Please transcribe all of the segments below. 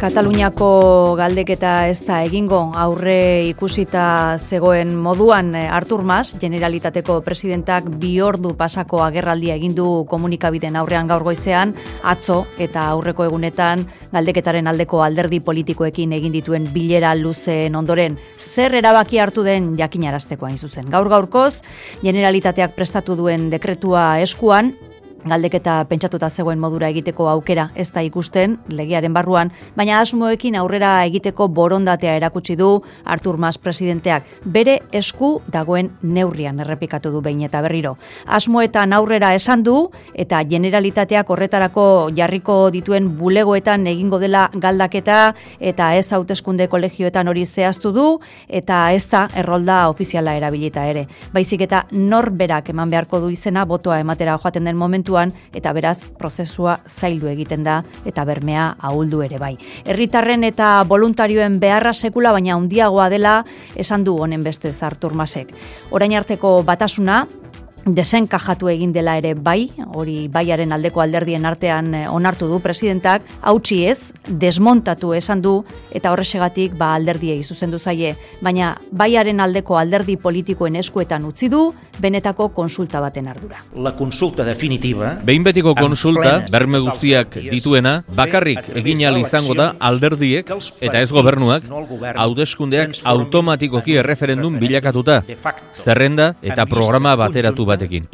Kataluniako galdeketa ez da egingo, aurre ikusita zegoen moduan Artur Mas, Generalitateko presidentak 2 ordu pasako agerraldia egin du komunikabideen aurrean gaur goizean, atzo eta aurreko egunetan galdeketaren aldeko alderdi politikoekin egin dituen bilera luzeen ondoren. Zer erabaki hartu den jakinarazteko hain zuzen. Gaur-gaurkoz, Generalitateak prestatu duen dekretua eskuan, galdeketa pentsatuta zegoen modura egiteko aukera ez da ikusten legearen barruan, baina asmoekin aurrera egiteko borondatea erakutsi du Artur Mas presidenteak. Bere esku dagoen neurrian errepikatu du behin eta berriro. Asmoetan aurrera esan du eta Generalitateak horretarako jarriko dituen bulegoetan egingo dela galdaketa eta ez hauteskunde kolegioetan hori zehaztu du eta ez da errolda ofiziala erabilita ere. Baizik eta norberak eman beharko du izena botoa ematera joaten den momentu eta beraz prozesua zaildu egiten da eta bermea ahuldu ere bai. Herritarren eta voluntarioen beharra sekula baina handiagoa dela esan du honen bestez Artur Masek. Orain arteko batasuna desenkajatu egin dela ere bai, hori baiaren aldeko alderdien artean onartu du presidentak, hautsi ez, desmontatu esan du eta horrexegatik alderdiei zuzendu zaie, baina baiaren aldeko alderdi politikoen eskuetan utzi du benetako konsulta baten ardura. La consulta definitiva, behin betiko konsulta, berme guztiak dituena, bakarrik egin ahal izango da alderdiek eta ez gobernuak, hauteskundeak automatikoki erreferendum bilakatuta, zerrenda eta programa bateratu batekin.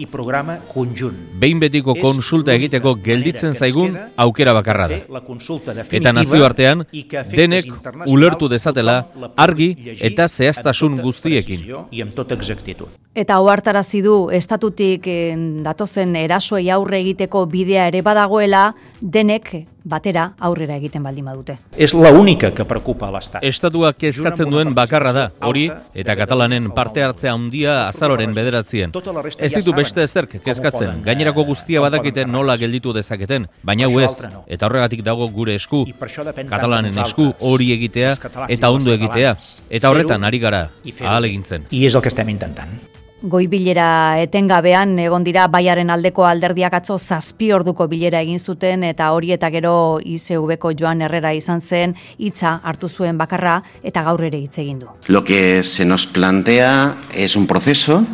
Behin betiko konsulta egiteko gelditzen zaigun aukera bakarra da. Eta nazioartean denek ulertu dezatela argi eta zehaztasun guztiekin. Eta ohartarazi du estatutik datozen erasoei aurre egiteko bidea ere badagoela, denek batera aurrera egiten baldin badute. Es la única que preocupa a l'Estat. Estatuak kezkatzen duen bakarra da, hori eta Katalanen parte hartzea handia azaroren 9. Ez ditu beste ezerk kezkatzen, gainerako guztia badakiten nola gelditu dezaketen, baina hau ez, eta horregatik dago gure esku, Katalanen esku hori egitea eta ondo egitea, eta horretan ari gara, ahalegintzen. I és el que estem intentant. Goi-bilera etengabean egon dira baiaren aldeko alderdiak atzo 7 orduko bilera egin zuten eta hori eta gero ICV-ko Joan Herrera izan zen hitza hartu zuen bakarra eta gaur ere hitz egin du. Lo que se nos plantea es un proceso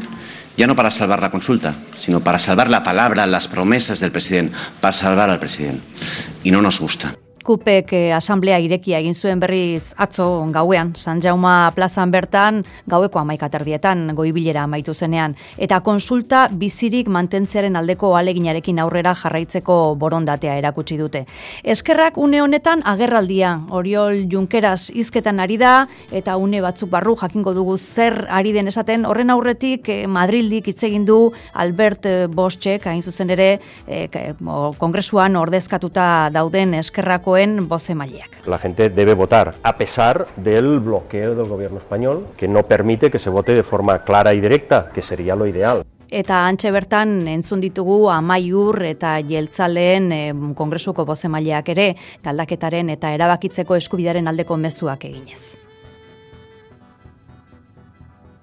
ya no para salvar la consulta, sino para salvar la palabra, las promesas del presidente, para salvar al presidente. Y no nos gusta. Kupek asamblea irekia egin zuen berriz atzo gauean, San Jauma plazan bertan, gaueko 11:00 goi-bilera amaitu zenean, eta konsulta bizirik mantentzearen aldeko ahaleginarekin aurrera jarraitzeko borondatea erakutsi dute. Eskerrak une honetan agerraldia, Oriol Junqueras hizketan ari da, eta une batzuk barru jakingo dugu zer ari den esaten, horren aurretik Madrildik hitz egin du Albert Boschek, hain zuzen ere, kongresuan ordezkatuta dauden eskerrako La gente debe votar a pesar del bloqueo del gobierno español que no permite que se vote de forma clara y directa, que sería lo ideal. Eta antxe bertan entzun ditugu Amaiur eta Jeltzaleen kongresuko bozemaileak ere galdaketaren eta erabakitzeko eskubidearen aldeko mezuak eginez.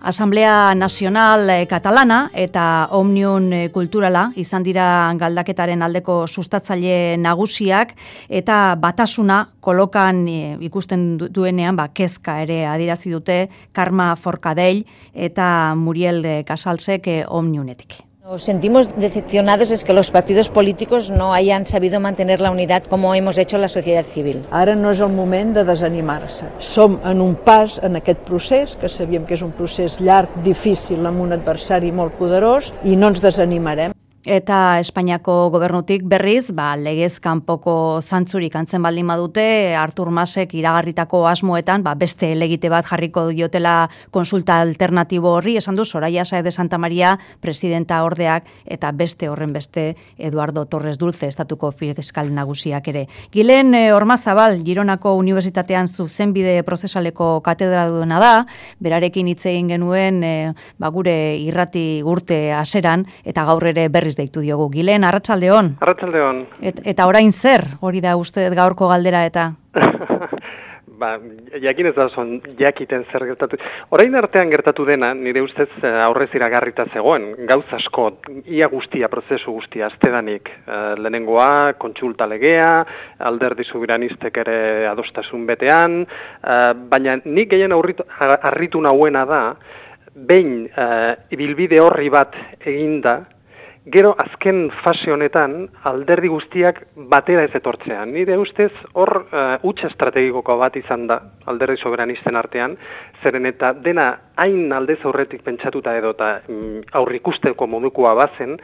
Asamblea Nacional Katalana eta Omnium Kulturala izan dira galdaketaren aldeko sustatzaile nagusiak eta batasuna kolokan ikusten duenean kezka ere adierazi dute Karma Forcadell eta Muriel Casalsek Omniumetik. Nos sentimos decepcionados es que los partidos políticos no hayan sabido mantener la unidad como hemos hecho la sociedad civil. Ara no és el moment de desanimar-se. Som en un pas en aquest procés, que sabíem que és un procés llarg, difícil, amb un adversari molt poderós, i no ens desanimarem. Eta Espainiako gobernutik berriz, legez kanpoko zantzurik antzen baldin badute, Artur Masek iragarritako asmoetan, beste elegite bat jarriko diotela konsulta alternatibo horri, esan du Soraya Sáez de Santamaría, presidenta ordeak, eta beste horren beste Eduardo Torres Dulce, estatuko fiskal nagusiak ere. Gilen Ormazabal, Gironako Unibertsitatean zuzenbide prozesaleko katedraduna da, berarekin hitz egin genuen gure irrati urte haseran, eta gaur ere berriz deitu diogu. Gilen, arratsaldeon. Arratsaldeon. Eta orain zer, hori da uste gaurko galdera eta? jakin ez da zon jakiten zer gertatu. Orain artean gertatu dena, nire ustez aurrez iragarrita zegoen, gauz asko, ia guztia, prozesu guztia, aztedanik. Lehenengoa, kontsulta legea, alderdi soberanistek ere adostasun betean, baina nik gehien harritu nauena da, behin ibilbide horri bat eginda, gero azken fase honetan alderdi guztiak batera ez etortzea. Nire ustez hor huts estrategiko bat izan da alderdi soberanisten artean, zeren eta dena hain aldez aurretik pentsatuta edo eta aurrikusteko modukoa bazen,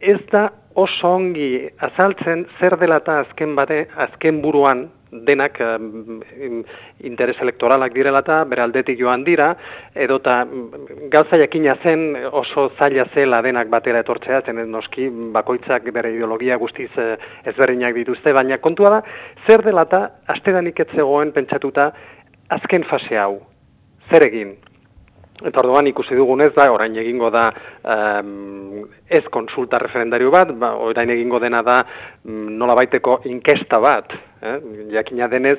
ez da oso ongi azaltzen zer dela eta azken buruan denak interes elektoralak direla eta bere aldetik joan dira, edota gauza jakina zen oso zaila zela denak batera etortzea, zen noski bakoitzak bere ideologia guztiz ezberdinak dituzte, baina kontua da, zer dela eta astedanik ez zegoen pentsatuta azken fase hau, zer egin? Eta orduan ikusi dugunez da, orain egingo da ez konsulta referendario bat, orain egingo dena da nolabaiteko inkesta bat. Jakina denez,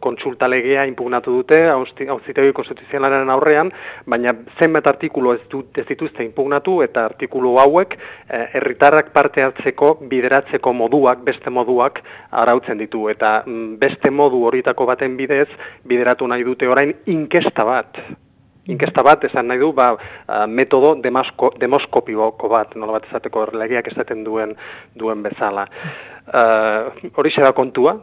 kontsulta legea inpugnatu dute, auzitegi konstituzionalaren aurrean, baina zenbat artikulu ez dituzte inpugnatu, eta artikulu hauek herritarrak parte hartzeko, bideratzeko moduak, beste moduak arautzen ditu. Eta beste modu horietako baten bidez, bideratu nahi dute orain inkesta bat. Inkesta bat, esan nahi du, metodo demoskopiko bat, nola bat esateko legeak esaten duen bezala. Horixe da kontua,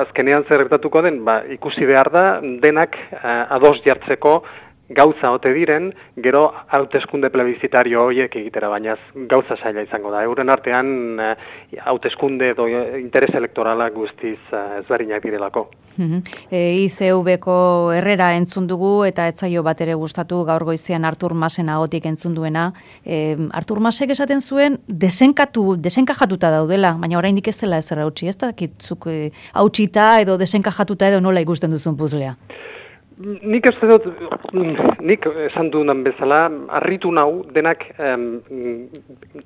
azkenean zer gertatuko den, ikusi behar da, denak ados jartzeko gauza ote diren, gero hauteskunde plebizitario horiek egitera, baina gauza zaila izango da. Euren artean hauteskunde edo interes elektoralak guztiz ezberdinak direlako. ICV-ko Herrera entzun dugu eta etzaio bat ere gustatu gaur goizean Artur Masen ahotik entzun duena. Artur Masek esaten zuen desenkajatuta daudela, baina oraindik ez dela ezer hautsi, ez dakitzuk hautsita edo desenkajatuta edo nola ikusten duzun puzlea. Nik esan dudan bezala, harritu nau denak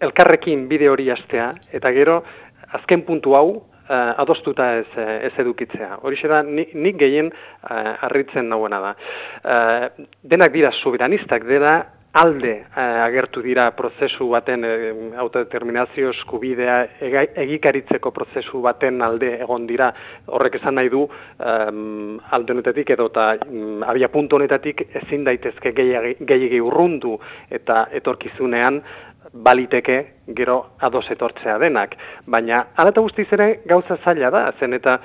elkarrekin bide hori hastea, eta gero azken puntu hau adostuta ez edukitzea. Horixe da, nik gehien harritzen nauena da. Denak dira soberanistak, dira alde agertu dira prozesu baten autodeterminazio eskubidea egikaritzeko prozesu baten alde egon dira. Horrek esan nahi du alde honetetik edo eta abia puntu honetatik ezin daitezke gehiegi urrundu eta etorkizunean baliteke gero ados etortzea denak. Baina hala eta guztiz ere gauza zaila da, zen eta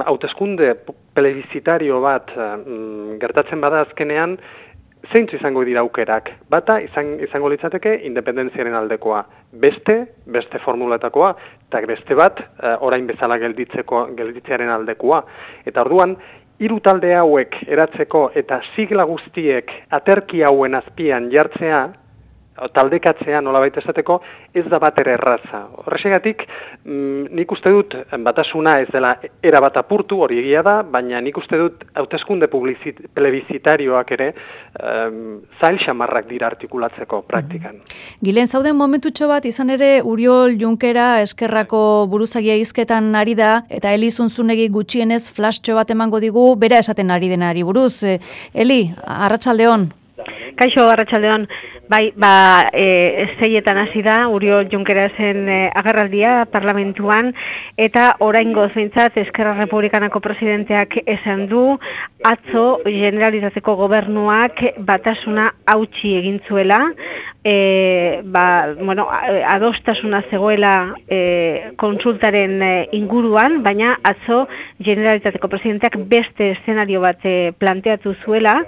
hauteskunde plebizitario bat gertatzen bada azkenean, zeintzu izango dira aukerak. Bata izango litzateke independentziaren aldekoa. Beste formuletakoa, eta beste bat orain bezala gelditzearen aldekoa. Eta orduan, hiru talde hauek eratzeko eta sigla guztiek aterki hauen azpian jartzea, taldekatzea nolabait esateko, ez da bat ere erraza. Horrexegatik, nik uste dut batasuna ez dela erabat apurtu, hori egia da, baina nik uste dut hauteskunde plebizitarioak ere zail xamarrak dira artikulatzeko praktikan. Gilen, zauden momentutxo bat, izan ere Uriol Junkera eskerrako buruzagia hizketan ari da, eta Eli Zunzunegi gutxienez flashtxo bat emango digu, bera esaten ari denari buruz. Eli, arratsaldeon. Kaixo, arratsaldeon. Bai, zeietan hasi da Uriol Junkerasen agerraldia parlamentuan, eta oraingoz behintzat Eskerra Republikanako presidenteak esan du atzo Generalitateko gobernuak batasuna hautsi egin zuela, adostasuna zegoela kontsultaren inguruan, baina atzo Generalitateko presidenteak beste eszenario bat planteatu zuela,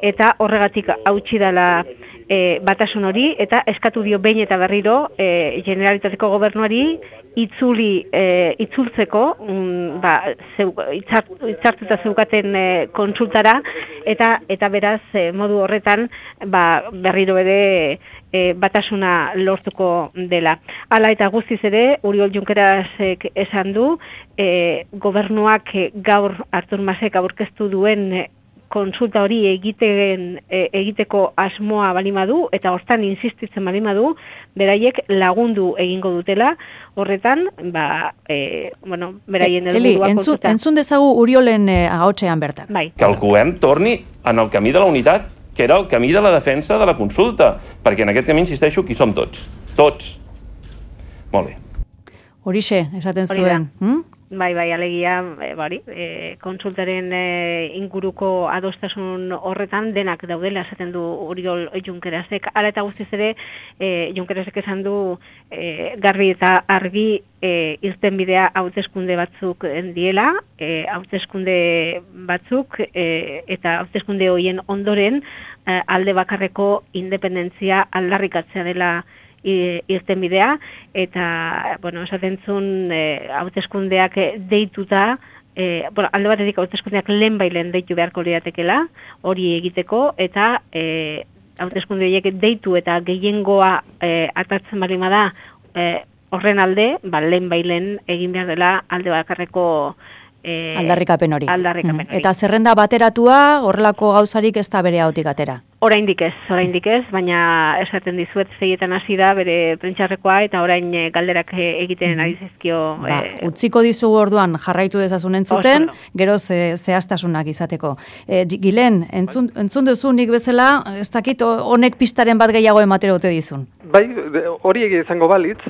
eta horregatik hautsi dela batasun hori, eta eskatu dio behin eta berriro Generalitateko gobernuari itzultzeko itzartuta zeukaten kontsultara, eta beraz modu horretan berriro ere batasuna lortuko dela. Hala eta guztiz ere, Uriol Junkerasek esan du, gobernuak gaur Artur Masek aurkeztu duen kontsulta hori egiteko asmoa balimadu eta hortan insistitzen balimadu, beraiek lagundu egingo dutela, horretan, beraien helburua kontsulta. Entzun dezagu Uriolen ahotsean bertan. Bai. Que el govern torni en el camí de la unitat, que era el camí de la defensa de la consulta, perquè en aquest camí, insisteixo, qui som tots. Tots. Molt bé. Horixe, esaten zuen. Bai, alegia, kontsultaren inguruko adostasun horretan denak daudela esaten du Oriol Junquerasek. Hala eta guztiz ere, Junquerasek esan du garbi eta argi irtenbidea hauteskunde batzuk diela, hauteskunde batzuk eta hauteskunde horien ondoren alde bakarreko independentzia aldarrikatzea dela irtenbidea, eta, esaten zuen hauteskundeak deituta, alde batetik hauteskundeak lehenbailen deitu beharko liratekela, hori egiteko, eta hauteskunde horiek deitu eta gehiengoa atatzen balima da, horren alde, lehenbailen egin behar dela alde bakarreko aldarrikapen hori. Eta zerrenda bateratua, horrelako gauzarik ez da bere hautik atera. Oraindik ez, baina esaten dizuet zeietan hasi da bere prentxarrekoa eta orain galderak egiten ari zizkio. Utziko dizugu orduan jarraitu dezazun entzuten, gero zehaztasunak izateko. Gilen, entzun duzu nik bezala, ez dakit honek pistaren bat gehiago ematera ote dizun? Bai, hori izango balitz,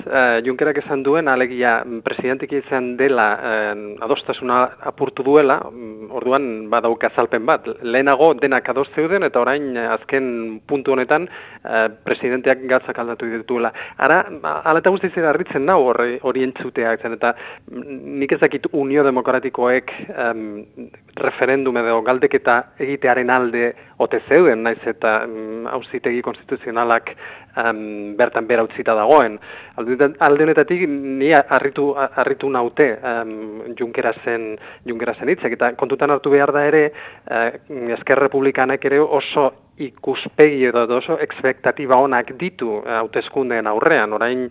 Junkerak esan duen, alegia presidentik izan dela adostasuna apurtu duela, orduan badauka azalpen bat. Lehenago denak ados zeuden eta orain azken puntu honetan presidenteak gatzak aldatu dituela. Ara, ala eta guztiz harritzen nau hori entzuteak zen, eta nik ezakit Unio Demokratikoek referendum edo galdeketa egitearen alde ote zeuden, naiz eta auzitegi konstituzionalak bertan bera utzita dagoen. Alde honetatik ni harritu naute Junkerasen hitzek, eta kontutan hartu behar da ere Ezker Republikanek ere oso ikuspegi edo oso ekspektatiba onak ditu hauteskundeen aurrean. Orain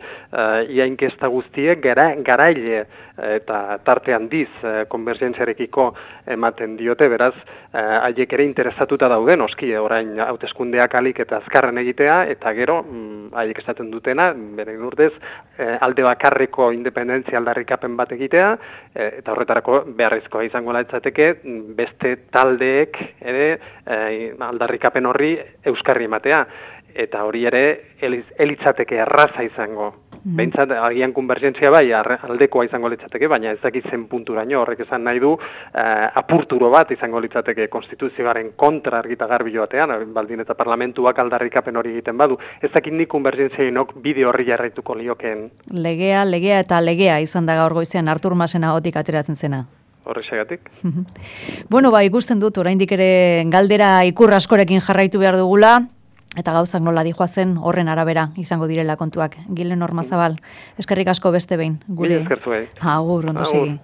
ia inkesta guztiek garaile eta tarte handiz konbergentziarekiko ematen diote, beraz haiek ere interesatuta dauden oski orain hauteskundeak alik eta azkarren egitea, eta gero haiek esaten dutena, beren urdez, alde bakarreko independentzia aldarrikapen bat egitea, eta horretarako beharrezkoa izango litzateke beste taldeek ere aldarrikapen horri euskarri ematea, eta hori ere elitzateke erraza izango. Behintzat, agian konbergentzia bai, aldekoa izango litzateke, baina ez dakit zen punturaino, horrek esan nahi du apurturo bat izango litzateke konstituzioaren kontra argita garbi joatean, baldin eta parlamentuak aldarrikapen hori egiten badu. Ez dakit nik konbergentziainok bide horri jarraituko liokeen. Legea eta legea izan da gaur goizean Artur Masen ahotik ateratzen zena. Horrexegatik. Bueno, ikusten dut, oraindik ere galdera ikur askorekin jarraitu behar dugula, eta gauzak nola dijoazen horren arabera izango direla kontuak. Gilen Ormazabal, eskerrik asko beste behin. Eskertu behin. Agur, ondo segi.